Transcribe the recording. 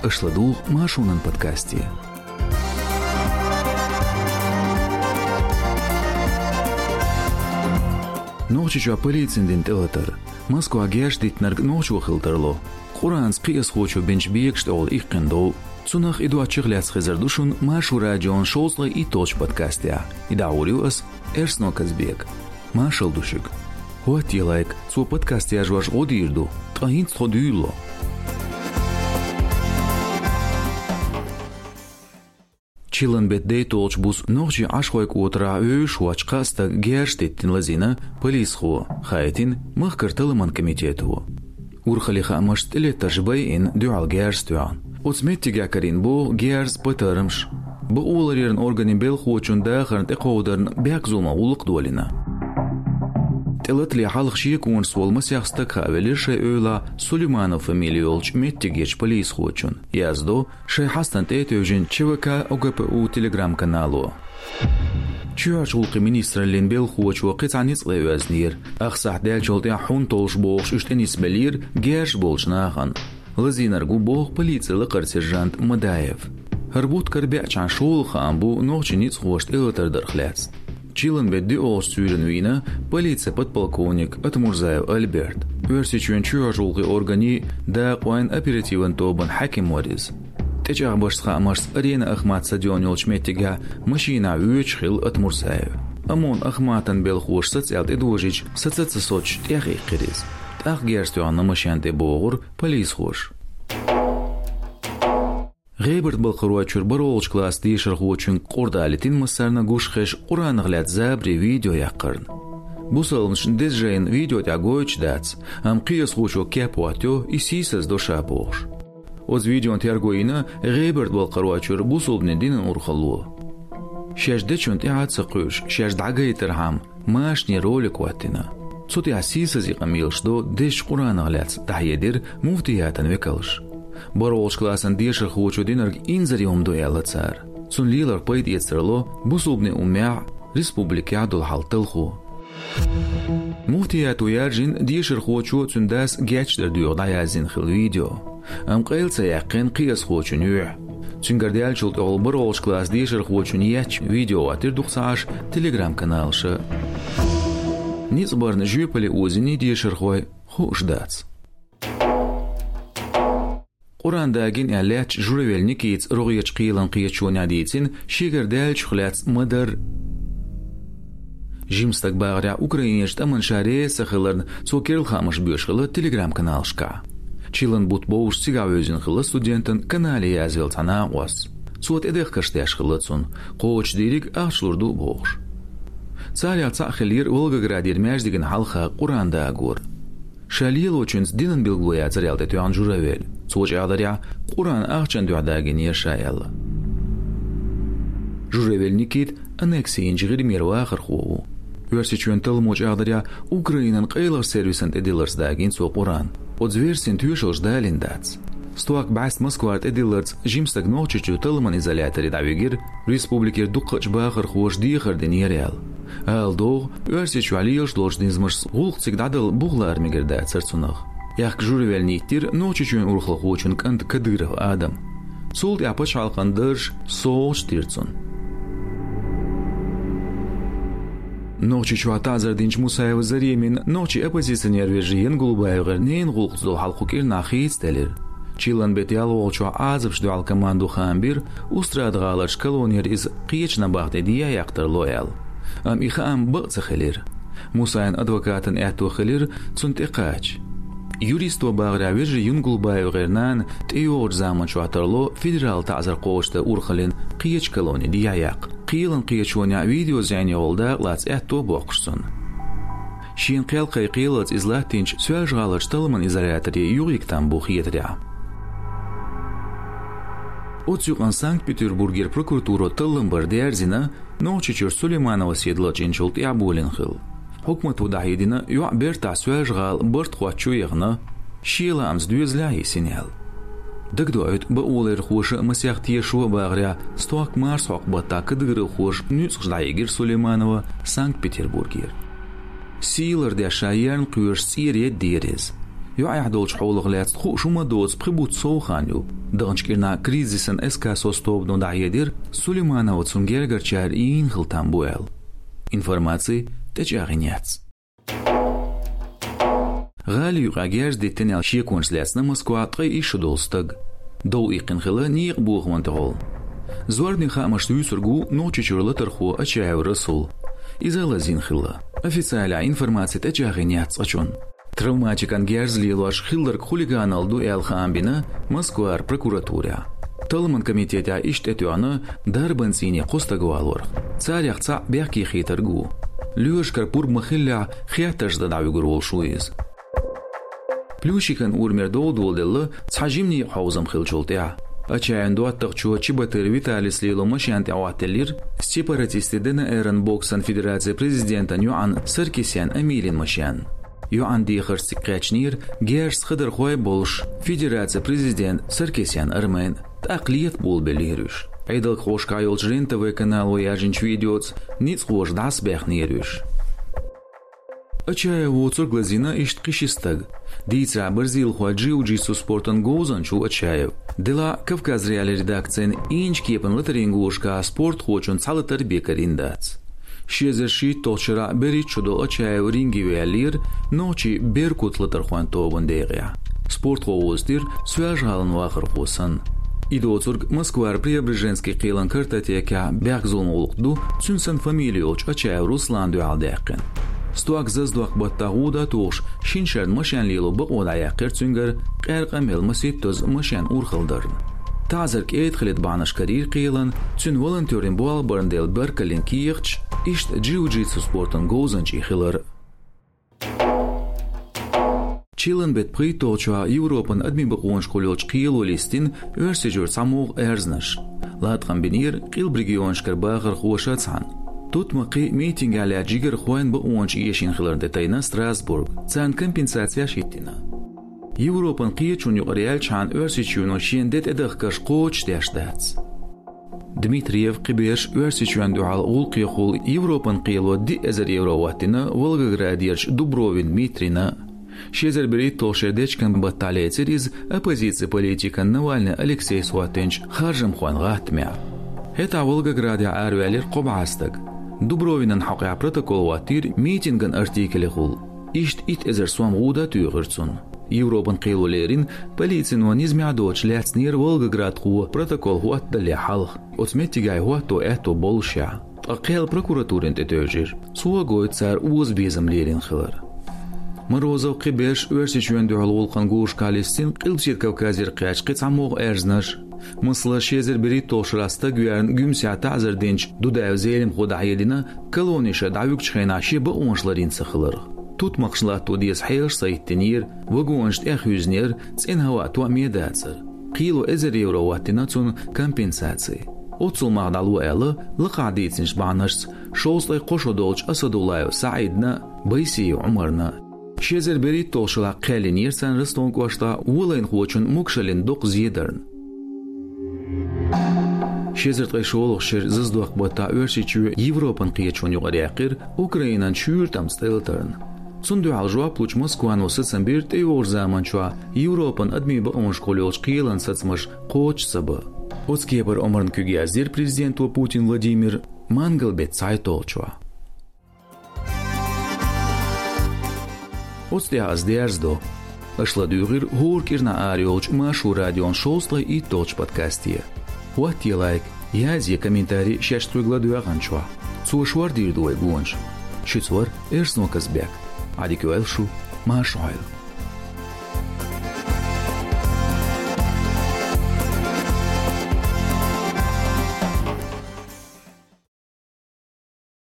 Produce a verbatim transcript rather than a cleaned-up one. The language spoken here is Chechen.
Аша ладугӀу Маршонан подкасте. Нохчийчохь полицина дина тӀелатар. Москвахь герзаш диттинарг нохчо хила тарло. Къуръанца кхиазхочо бинчу бегашна тӀехула иккхина дов. Цунах а, и доцчух а лаьцна хезар ду шуна Маршо радион шовзткъе итталгӀачу подкастехь. И дӀахьур ю ас, Эрсно Казбека. Маршалла ду шуьга. ХӀоттае лайк, цо подкаст яржош гӀо дийр ду, ткъа хӀинца тхо дуьйлало. Чиллан беттан дейтталгӀачу буса нохчийн Ӏашхойн кӀотарахь вевзаш воцчу кхаа стага герзаш диттина лазийна полисхо, хаийтина махкара талламан комитето. Урхаллин хаамашца, тӀелеттарш байина, дуьхьал герз тоьхна. Оцу меттигехь карийна боху герз, патармаш. Бакъоларъяран органийн белхахочун дахарна тӀекховдарна бехказло ма гӀуллакх долийна. ТӀелатале хьалха шеконаш волу масех стаг хаавелира шайн эвлахь Сулейманов фамили йолчу меттигерчу полисхочунна, яздо шайн хьастана тӀе а тевжина ЧВК ОГПУ Telegram-канало. Чоьхьарчу гӀуллакхийн министраллин белхахочо кхин цхьа ницкъ лай оьзнера, ах сахьт даьллачул тӀаьхьа хьун толлуш бохуш уьш тӀенисбеллера герзаш болчу нахана. Лазийнарг ву боху полицин лакхара сержант Мадаев. ХӀара бутт карабаьӀчхьана шолгӀа хаам бу нохчийн ницкъахошна тӀелатар дарх лаьцна. Чиллан беттан доьалгӀачу суьйранна вийна полицин подполковник Атмурзаев Альберт, Оьрсийчоьнан чоьхьарчу гӀуллакхийн органийн дакъойн оперативан тобанан хьаькам вара иза. ТӀечӀагӀбашца хаамашца Арена Ахмат стадион йолчу меттигехь машинахь воьдуш хилла Атмурзаев. ОМОНан Ахматан белхахоша саца аьлла тӀедожийча, саца а ца соцуш, тӀехъиккхира иза. ТӀаккха герз тоьхна машен тӀе, бохура полисхоша. ГӀебарта-Балкхаройчуьра бархӀалгӀачу классан дешархочуьнга къурд алийтина массарна а гуш хезаш Къуръанах лаьцна забаре видео яккхарна. Бусалбанашна деза жайна видео тӀехь гойтуш дац, амма кхиазхочо кеп хӀоттайо, и сийсаздо ша бохуш. Оцу видеон терго йина ГӀебарта-Балкхаройчуьра бусалбанийн динан урхалло. Шаьш дечунна тӀаьхьа а ца кхуьуш, шаьш дӀагайтархьама, машане ролик хӀоттийна. Цу тӀехь сийсаза къамелаш до дезачу Къуръанах лаьцна, дӀахьедира муфтиятан векалша. БархӀалгӀачу классан дешархочо динарг инзаре хӀума ду аьлла цара. Цунна лелорг пайда эца тарло бусалбанийн уммехь а, республикехь а долу хьал талхо. Муфтиято яржийна дешархочо а, цуьнан дас а гечдар доьху дӀаяздина хилла видео. Амма къайла ца яьккхина кхиазхочун юьхь. Цуьнгара даьллачул тӀаьхьа бархӀалгӀачу классан дешархочун етташ видео хӀоттийра дукха ца Ӏаш Telegram-каналаша. Ницкъ барна жоьпалле озийний дешархой, хууш дац. Къуръан дагийна аьлла лаьттачу Журавель Никитас рогӀерчу кхелан кхеташонехь дийцина шегара даьллачух лаьцна ма-дарра. Жима стаг бахарехь, Украинерчу тӀамна ша реза ца хиларна, цо керла хаамаш боьлуш хилла Telegram-каналашкахь. Чиллан бутт бовзуш цигахь вевзина хилла студентан канале язвелла цхьа накъост. Цо тӀедехкарш деш хилла цунна, кхочушдийриг ахча лур ду бохуш. Царех цхьаъ хиллера Волгоградера маьждигна хьалха Къуръан дагор. Ша лелочуьнца динан билгало яцара аьлла тӀетоьхна Журавель. Цо чӀагӀдарехь, Къуръан ахчана дуьхьа дагийнера ша аьлла. Журавель Никита аннекси йинчу ГӀирмера вахархо ву. Оьрсийчоьнан талламо чӀагӀдарехь, Украинан къайлахчу сервисан тӀедилларца дагийна цо Къуръан. Оцу версина тоьшаллаш далийна дац. Стохка бӀаьста Москвара тӀедилларца жима стаг Нохчийчу талламан изоляторе дӀавигира, республикера дукхахчу бахархоша дехар динера аьлла. Ала догӀу, Оьрсийчохь лелаш долчу низамашца гӀуллакх цига дӀадала бух лара мегар дацара цунах. Аьхка Журавель ниттира Нохчийчоьнан урхалхочун кӀанта Кадыров Адама. Цул тӀаьхьа пачхьалкхан даржаш совгӀаташ дира цунна. Нохчийчохь таӀзар динчу Мусаева Заремина нохчийн оппозиционер вежарий ЯнгулбаевгӀеран ненан гӀуллакхца долу хьал кху кӀирнахь хийцаделира. Чиллан беттан ялхолгӀачохь Ӏазапашна дуьхьал командо хаам бира, Устрада-ГӀаларчу колонера иза кхечу набахтин дехьаяккха тарло аьлла. Амма и хаам бакъ ца хилира. Мусаевн адвокатан аьтто хилира цунна тӀекхача. Юристо бахарехь, вежарий ЯнгулбаевгӀеран нана тӀейогӀучу заманчохь тарло федералан таӀзар кхочушдан урхаллин кхечу колонин дехьаяккха. Кхелан кхеташонехь видео зӀенехула дакъалаца аьтто а боккхуш цунна. Шена кхел кхайкхийлалц иза латтийначу Соьлжа-ГӀаларчу талламан изоляторе юхайига там бу хетарехь. Оцу юкъана Санкт-Петербургера прокуратуро таллам бар дерзийна, Нохчийчуьра Сулейманова Седа лачкъийначул тӀаьхьа болийна хилла. Хьукмато дӀахьедина, йоӀ бертахь Соьлжа-ГӀала барт хоттучу яхана, шен лаамца доьзалехь йисина аьлла. Дагадоуьйту, бакъоларъярхоша а, масех тешаша а бахарехь, стохка марсхьокху баттахь кадыровхоша нуьцкъаш дӀахьийгира Сулейманова Санкт-Петербургера. Сий лардеш ша ерна кхоьруш цӀера едда дера иза. ЙоӀехь долчу хьолах лаьцна хууш хӀума доцу пхи бутт сов хан ю. Даханчу кӀирнахь «Кризисан эскасос» тобано дӀахьедира, Сулейманова цунна гергарчара йийна хила там бу аьлла. Информаци тӀечӀагӀйина яц. ГӀали юкъахь герз диттина аьлла шеконаш лаьцна Москвахь ткъе исс шо долу стаг. Дов иккхина хилла некъан бохаман тӀехула. Зорбанийн хаамашца вуьйцург ву Нохчийчуьра латархо Ачаев Расул. Иза лазийна хилла. Официалехь информаци тӀечӀагӀйина яц цкъачунна. Травматикан герз лелош хилларг хулиганалла ду аьлла хаам бина Москвара прокуратурехь. Талламан комитетехь иштта тӀетоьхна дарбан цӀийне кхо стаг валорах. Царех цхьаъ бехке хетарг ву. Лоьрашкара пурба ма-хиллехь, хеттарш дан дӀавуьгур волуш ву иза. Плющикан урамера дов доладелла цхьа жиманийн хьовзам хиллачул тӀаьхьа. Ачаевн доттагӀчо Чеботарев Виталис лело машен тӀе Ӏоттаеллера сепаратистийн ДНР-ан боксан федерацин президентан йоӀан Саркисян Эмилин машен. ЙоӀан дехарш цига кхаьчнера герзаца хабархой а болуш, федерацин президент Саркисян Армен, тӀаккха лета болабеллера уьш. Ӏедалхошкахь йолчу Рен-ТВ канало яржинчу видеоца ницкъахоша дӀасабаьхнера уьш. Ачаев воцург лазийна иштта кхин ши стаг. Дийцарехь, бразилхойн джиу-джитсу спортан говзанча ву Ачаев. Делахь а Кавказ.Реалии редакцин ийначу кепан латарийн гонашкахь спортхочун цхьа латар бен карийна дац. Ши эзар шийтталгӀачу шарахь берхӀитта шо долу Ачаев ринге ваьллера нохчийн «Беркут» латархойн тобанан декъехь. Спортхо вовзийтира Соьлжа-ГӀалин вахархо санна. И доцург Москвара Преображенский кхелан картотекехь бехк-зуламан гӀуллакх ду цуьнан санна фамили йолчу Ачаев Русланна дуьхьал даьккхина. Стаг заздоккху баттахь гӀуда а тухуш, шина шарна машен лело бакъо дӀаяьккхира цуьнгара, къаьркъа а мелла, масийттазза машен урхалла дарна. ТаӀзар кӀеда хилийта бахьанаш карийра кхелан, цуьнан волонтерийн болх барна дела баркаллин кехаташ, иштта джиу-джитсу спортан говзанчийн хилар. Чиллан беттан пхийтталгӀачохь Европан адамийн бакъонашкахула йолчу кхело листина Оьрсийчуьра цхьамогӀа аьрзнаш. Латкъам бинера къилба регионашкара бахархоша цхьаьна. Тутмакхий митингехь лаьцна жигархойн, бакъонаш эшийна хиларна тӀе тайна Страсбург, царна компенсацеш хӀиттийна. Европан кхеташонна юкъара яьлчхьана, Оьрсийчоьно шена де тӀедахкарш кхочушдеш дац. Дмитриев кхиберш Оьрсийчоьнна дуьхьал гӀуллакхехула Европан кхело диъ эзар евро хӀоттийна Волгоградерчу Дубровин Дмитрийна. Ши эзар берхӀитталгӀачу шеран дечкен баттахь лецира иза оппозицин политикан Навальный Алексейс хӀоттийначу харжамхойн гӀаттамехь. ХӀетахь Волгоградехь араваьллера кхо бӀе стаг. Дубровинан хьокъехь протокол хӀоттийра митинган артикелехула. Иштта итт эзар сом гӀуда а туьйхира цунна. Европан кхело лерина, полицино низамехь доцуш лаьцнера волгоградхо протокол хӀоттадалале хьалха, оцу меттигехь хӀотто аьтто боллушехь. Ткъа кхел прокуратурина тӀе тевжира. Цо гойту цара озабезам лелийна хилар. Морозов кхиберш Оьрсийчоьнна дуьхьал гӀуллакхан гонашкахь листина Къилбаседа Кавказера кхаьчна кхин цхьамогӀа аьрзнаш. Масала, ши эзар берхӀитталгӀачу шарахь стаг веарна Гуьмсехь таӀзар динчу Дудаев Зелимхо дӀахьедина, колони ша дӀавуьгучу хенахь шен бакъонаш ларйина ца хиларх. Тутмакхашна латто деза хьелаш ца хӀиттийнера, вагонаш тӀех хьуьйзинера, цӀена хӀаваъ тоьъне дацара. Кхело эзар евро хӀоттийна цунна компенсаци. Оццул мах дӀало аьлла, лакхахь дийцинчу бахьанашца шовзткъе кхо шо долчу Асадуллаев СаӀидна а, Байсиев Ӏумарна а. Ши эзар берхӀитталгӀачу шарахь кхел йинера царна Ростован кӀоштахь волайнахочун Мукшалин докъа зедарна. Ши эзар ткъе шолгӀачу шеран заздоккху баттахь Оьрсийчоь Европан кхеташонна юкъара яьккхира Украинан шуьйра тӀамца тӀелатарна. Цунна дуьхьал жоп лучу Москвано сацам бира тӀейогӀучу заманчохь Европан адамийн бакъонашкахула йолчу кхелан сацамаш кхочуш ца бан. Оцу кепара омранан куьг яздира президенто Путин Владимира мангал-беттан цхьайтталгӀачохь. Оцу тӀехь ас дерзадо. Аша ладуьйгӀира хӀора кӀирнахь арайолчу Маршо радион шовзткъе итталгӀачу подкасте. ХӀоттае лайк, язъе комментарий шаьш тхоьга ладоьгӀначохь. Цо шордийр ду вай гонаш. Шуьца вара Эрсно Казбек. Ӏадика йойла шу, марша Ӏойла.